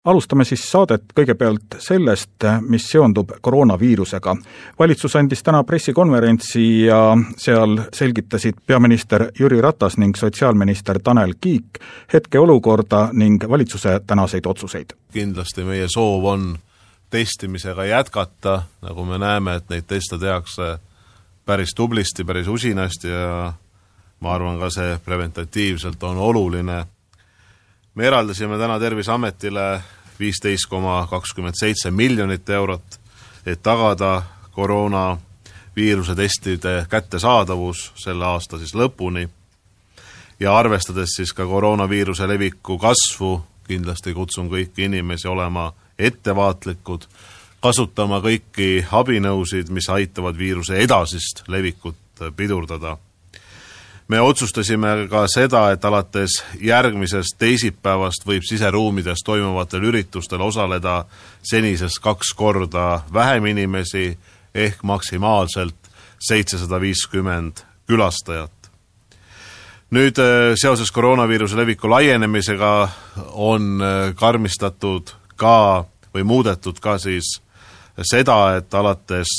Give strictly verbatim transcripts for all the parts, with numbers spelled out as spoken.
Alustame siis saadet kõigepealt sellest, mis seondub koroonaviirusega. Valitsus andis täna pressikonverentsi ja seal selgitasid peaminister Jüri Ratas ning sotsiaalminister Tanel Kiik hetkeolukorda ning valitsuse tänaseid otsuseid. Kindlasti meie soov on testimisega jätkata, nagu me näeme, et neid teste tehakse päris tublisti, päris usinasti ja ma arvan ka see preventatiivselt on oluline. Me eraldasime täna Terviseametile viisteist koma kakskümmend seitse miljonit eurot, et tagada koroonaviiruse testide kättesaadavus selle aasta siis lõpuni ja arvestades siis ka koroonaviiruse leviku kasvu, kindlasti kutsun kõiki inimesi olema ettevaatlikud, kasutama kõiki abinõusid, mis aitavad viiruse edasist levikut pidurdada. Me otsustasime ka seda, et alates järgmisest teisipäevast võib siseruumides toimuvatel üritustel osaleda senisest kaks korda vähem inimesi ehk maksimaalselt seitsesada viiskümmend külastajat. Nüüd seoses koroonaviiruse leviku laienemisega on karmistatud ka või muudetud ka siis seda, et alates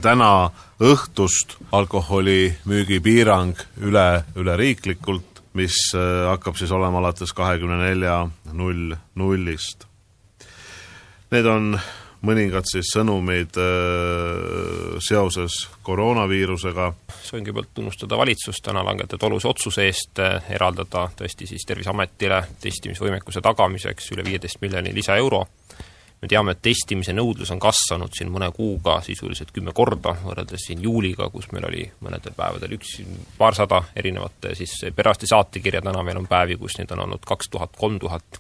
täna õhtust alkoholi müügipiirang üle, üle riiklikult, mis hakkab siis olema alates kahekümne nelja null nullist. Need on mõningad siis sõnumid seoses koroonaviirusega. Soovin kõigepealt tunnustada valitsust täna langetada olulise otsuse eest eraldada tõesti siis Terviseametile testimisvõimekuse tagamiseks üle viieteist miljoni lisa euro. Me teame, et testimise nõudlus on kasvanud siin mõne kuuga sisuliselt kümme korda, võrreldes siin juuliga, kus meil oli mõnedel päevadel üks paarsada erinevate siis perearsti saatekirja, täna meil on päevi, kus neid on olnud kaks tuhat, kolm tuhat.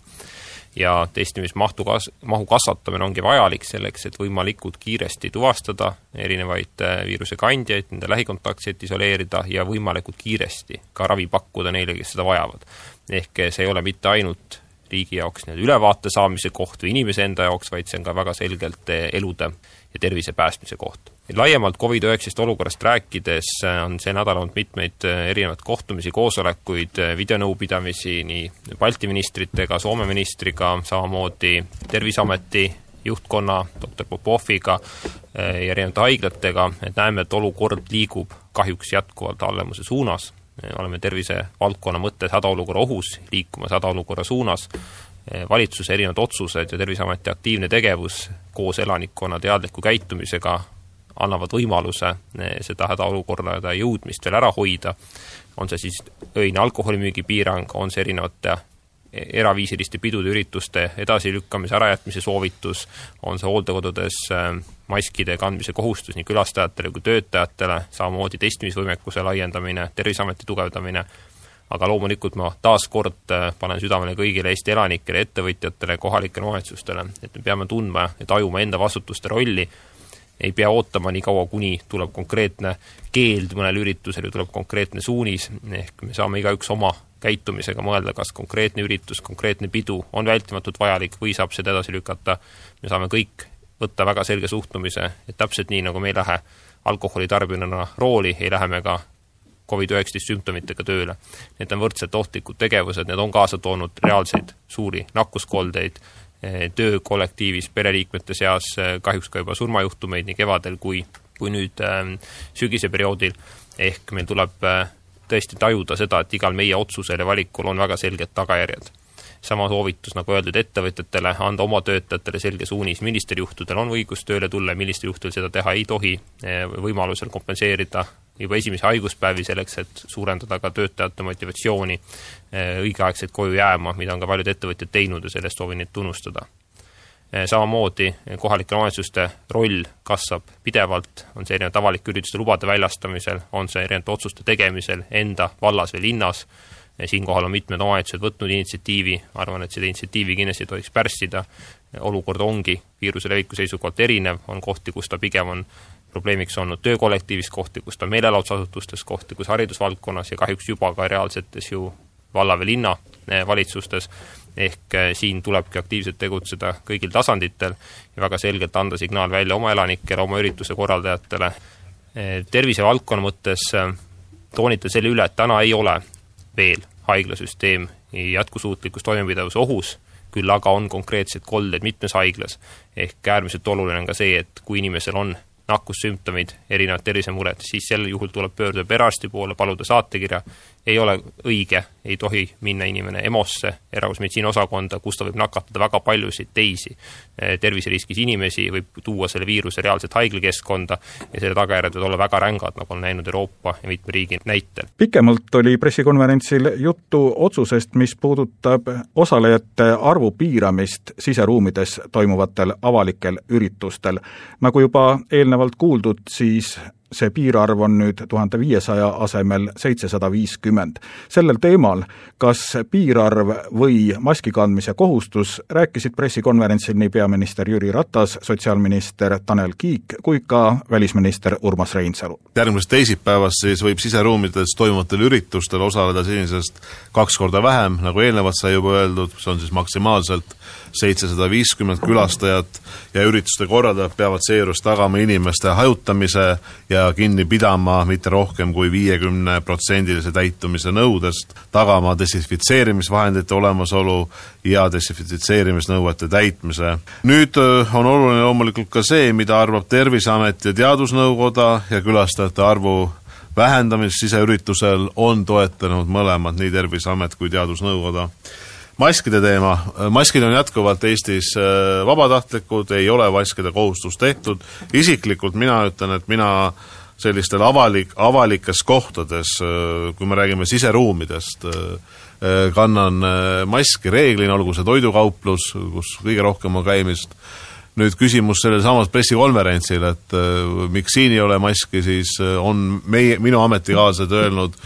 Ja testimismahtu kas, mahu kasvatamine ongi vajalik selleks, et võimalikult kiiresti tuvastada erinevaid viiruse kandjaid, nende lähikontaktseid isoleerida ja võimalikult kiiresti ka ravi pakkuda neile, kes seda vajavad. Ehk see ei ole mitte ainult riigi jaoks ülevaate saamise koht või inimese enda jaoks, vaid see on ka väga selgelt elude ja tervise päästmise koht. Laiemalt covid üheksateist olukorrast rääkides on see nädal olnud mitmeid erinevaid kohtumisi, koosolekuid, videonõupidamisi nii Balti ministritega, Soome ministriga, samamoodi Terviseameti juhtkonna, doktor Popoviga ja erinevate haiglatega, et näeme, et olukord liigub kahjuks jätkuvalt halvemuse suunas. Oleme tervise valdkonna mõttes hädaolukorra ohus, liikumas hädaolukorra suunas. Valitsuse erinevad otsused ja Terviseameti aktiivne tegevus koos elanikkonna teadliku käitumisega annavad võimaluse seda hädaolukorra jõudmist veel ära hoida. On see siis öine alkoholimüügi piirang, on see erinevate eraviisiliste pidude ürituste edasilükkamise ärajätmise soovitus, on see hooldekodudes maskide kandmise kohustus nii külastajatele kui töötajatele, samamoodi testimisvõimekuse laiendamine, Terviseameti tugevdamine, aga loomulikult ma taas kord panen südamele kõigile Eesti elanikele, ettevõtjatele, kohalikele omavalitsustele, et me peame tundma ja tajuma enda vastutuste rolli, ei pea ootama nii kaua, kuni tuleb konkreetne keeld mõnel üritusel ja tuleb konkreetne suunis, ehk me saame igaüks oma käitumisega mõelda, kas konkreetne üritus, konkreetne pidu on vältimatult vajalik või saab seda edasi lükata. Me saame kõik võtta väga selge suhtumise, et täpselt nii, nagu me ei lähe alkoholi tarbijana rooli, ei lähe me ka covid üheksateist sümptomitega tööle. Need on võrdselt ohtlikud tegevused, need on kaasa toonud reaalseid suuri nakkuskoldeid, töö kollektiivis, pereliikmete seas, kahjuks ka juba surmajuhtumeid nii kevadel kui, kui nüüd sügise perioodil, ehk meil tuleb tõesti tajuda seda, et igal meie otsusel ja valikul on väga selged tagajärjed. Sama soovitus, nagu öeldud ettevõtjatele, anda oma töötajatele selge suunis, millistel juhtudel on õigus tööle tulla, millistel juhtudel seda teha ei tohi, võimalusel kompenseerida juba esimese haiguspäevi selleks, et suurendada ka töötajate motivatsiooni õigeaegselt koju jääma, mida on ka paljud ettevõtjad teinud ja sellest soovin neid tunnustada. Samamoodi kohalike omavalitsuste roll kasvab pidevalt, on see erinevalt avalike ürituste lubade väljastamisel, on see erinevalt otsuste tegemisel enda vallas või linnas. Siinkohal on mitmed omavalitsused võtnud initsiatiivi, arvan, et seda initsiatiivi kindlasti tohiks pärssida. Olukord ongi viiruse leviku seisukohalt erinev, on kohti, kus ta pigem on probleemiks olnud töökollektiivis, kohti, kus ta meelelaudsusasutustes, kohti, kus haridusvaldkonnas ja kahjuks juba ka reaalsetes ju valla või linna valitsustes, ehk siin tulebki aktiivselt tegutseda kõigil tasanditel ja väga selgelt anda signaal välja oma elanikele, oma ürituse korraldajatele. Tervisevaldkonna mõttes toonita selle üle, et täna ei ole veel haiglasüsteem jätkusuutlikus toimepidavuse ohus, küll aga on konkreetsed kolded mitmes haiglas. Ehk äärmiselt oluline on ka see, et kui inimesel on nakkussümptomid, erinevad tervisemured, siis sel juhul tuleb pöörduda perearsti poole, paluda saatekirja. Ei ole õige, ei tohi minna inimene EMO-sse, erakorralise osakonda, kus ta võib nakatada väga paljusid teisi terviseriskis inimesi, võib tuua selle viiruse reaalselt haiglakeskkonda ja selle tagajärjed võivad olla väga rängad, nagu on näinud Euroopa ja mitme riigi näitel. Pikemalt oli pressikonverentsil juttu otsusest, mis puudutab osalejate arvu piiramist siseruumides toimuvatel avalikel üritustel. Nagu juba eelnevalt kuuldud, siis see piirarv on nüüd tuhande viiesaja asemel seitsesada viiskümmend. Sellel teemal, kas piirarv või maski kandmise kohustus, rääkisid pressikonverentsil nii peaminister Jüri Ratas, sotsiaalminister Tanel Kiik kui ka välisminister Urmas Reinsalu. Järgmisest teisipäevast siis võib siseruumides toimuvatel üritustel osaleda senisest kaks korda vähem, nagu eelnevalt sai juba öeldud, see on siis maksimaalselt seitsesada viiskümmend külastajat ja ürituste korraldajad peavad seejuures tagama inimeste hajutamise ja kinni pidama mitte rohkem kui viiekümne protsendilise täitumise nõudest, tagama desinfitseerimisvahendite olemasolu ja desinfitseerimisnõuete täitmise. Nüüd on oluline loomulikult ka see, mida arvab Terviseamet ja Teadusnõukoda ja külastajate arvu vähendamist siseüritusel on toetanud mõlemad, nii Terviseamet kui Teadusnõukoda. Maskide teema. Maskid on jätkuvalt Eestis vabatahtlikud, ei ole maskide kohustus tehtud. Isiklikult mina ütlen, et mina sellistel avalik, avalikes kohtades, kui me räägime siseruumidest, kannan maski reeglina, olgu see toidukauplus, kus kõige rohkem on käimist. Nüüd küsimus sellel samas pressikonverentsil, et miks siin ei ole maski, siis on meie, minu ametikaaslased öelnud,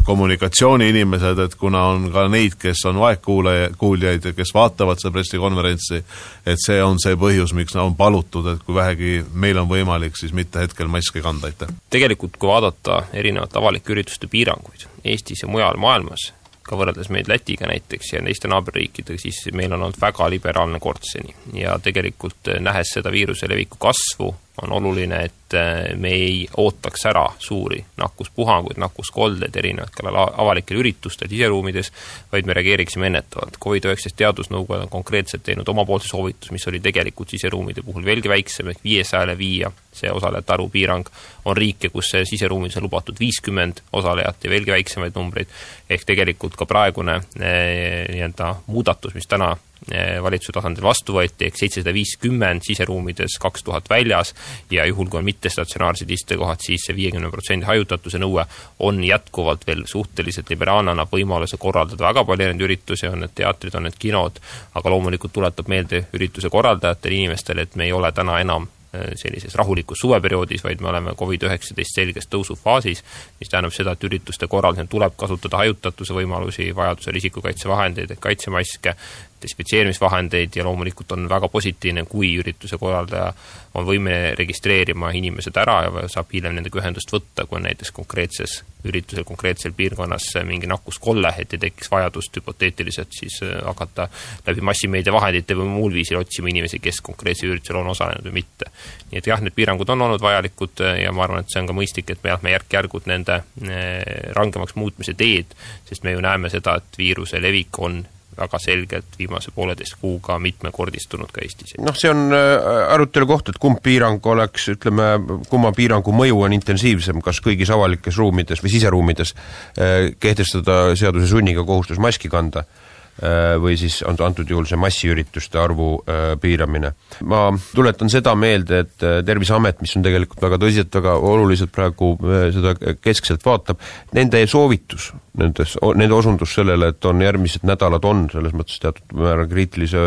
kommunikatsiooni inimesed, et kuna on ka neid, kes on vaegkuuljaid ja kes vaatavad seda pressikonverentsi, et see on see põhjus, miks on palutud, et kui vähegi meil on võimalik, siis mitte hetkel maski kanda. Tegelikult, kui vaadata erinevate avalike ürituste piiranguid Eestis ja mujal maailmas, ka võrreldes meid Lätiga näiteks ja teiste naaberriikidega, siis meil on olnud väga liberaalne kord seni. Ja tegelikult nähes seda viiruse leviku kasvu, on oluline, et me ei ootaks ära suuri nakkuspuhanguid, nakkuskoldeid erinevatel avalikel üritustel siseruumides, vaid me reageeriksime ennetavalt. covid üheksateist teadusnõukoda on konkreetselt teinud omapoolse soovitus, mis oli tegelikult siseruumide puhul veelgi väiksem, ehk viiesajale viia see osalejate arvu piirang. On riike, kus siseruumides on lubatud viiskümmend osalejat ja veelgi väiksemaid numbreid, ehk tegelikult ka praegune nii-öelda muudatus, mis täna valitsuse tasandil vastu võeti, ehk seitsesada viiskümmend siseruumides, kaks tuhat väljas ja juhul, kui on mittestatsionaarsed istekohad, siis see viiekümne protsendi hajutatuse nõue on jätkuvalt veel suhteliselt liberaalne, annab võimaluse korraldada väga palju erinevaid üritusi, on need teatrid, on need kinod, aga loomulikult tuletab meelde ürituse korraldajatele inimestele, et me ei ole täna enam sellises rahulikus suveperioodis, vaid me oleme covid üheksateist selges tõusufaasis, mis tähendab seda, et ürituste korraldamisel tuleb kasutada hajutatuse võimalusi, vajadusel isikukaitsevahendeid, kaitsemaske, desinfitseerimisvahendeid ja loomulikult on väga positiivne, kui ürituse korraldaja on võime registreerima inimesed ära ja saab hiljem nendega ühendust võtta, kui on näiteks konkreetses üritusel, konkreetsel piirkonnas mingi nakkuskolle, et ei tekiks vajadust hüpoteetiliselt siis hakata läbi massimeedia vahendite või muul viisil otsima inimesi, kes konkreetse üritusel on osalenud või mitte. Nii et jah, need piirangud on olnud vajalikud ja ma arvan, et see on ka mõistlik, et me, me järk-järgud nende rangemaks muutmise teed, sest me ju näeme seda, et viiruse levik on väga selgelt viimase pooleteist kuuga mitmekordistunud ka Eestis. Noh, see on arutelu koht, et kumb piirang oleks, ütleme, kumma piirangu mõju on intensiivsem, kas kõigis avalikes ruumides või siseruumides kehtestada seaduse sunniga kohustus maski kanda või siis on antud juhul see massiürituste arvu piiramine. Ma tuletan seda meelde, et Terviseamet, mis on tegelikult väga tõsiselt, väga oluliselt praegu seda keskselt vaatab, nende soovitus, nendes, nende osundus sellele, et on järgmised nädalad on selles mõttes teatud määra kriitilise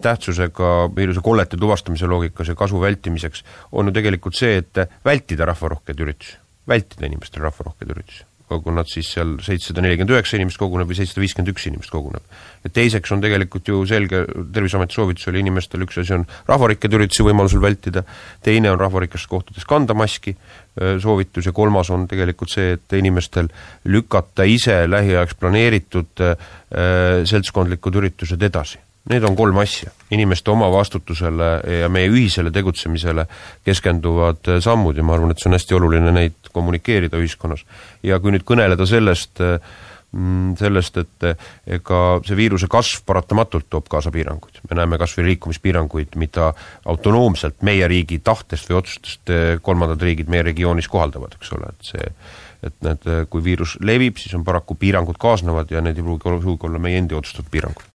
tähtsusega viiruse kollete tuvastamise loogikas ja kasu vältimiseks, on ju tegelikult see, et vältida rahvarohkeid üritusi, vältida inimestel rahvarohkeid üritusi. Kui nad siis seal seitsesada nelikümmend üheksa inimest koguneb või seitsesada viiskümmend üks inimest koguneb. Ja teiseks on tegelikult ju selge, Terviseameti soovitus oli inimestel, üks asi on rahvarikked üritusi võimalusel vältida, teine on rahvarikast kohtades kanda maski soovitus ja kolmas on tegelikult see, et inimestel lükata ise lähiajaks planeeritud seltskondlikud üritused edasi. Need on kolm asja. Inimeste oma vastutusele ja meie ühisele tegutsemisele keskenduvad sammud ja ma arvan, et see on hästi oluline neid kommunikeerida ühiskonnas. Ja kui nüüd kõneleda sellest, sellest, et ega see viiruse kasv paratamatult toob kaasa piiranguid. Me näeme kas või liikumispiiranguid, mida autonoomselt meie riigi tahtest või otsustest kolmandad riigid meie regioonis kohaldavad, eks ole, et see, et need, kui viirus levib, siis on paraku piirangud kaasnevad ja need ei pruugi olla meie endi otsustatud piirangud.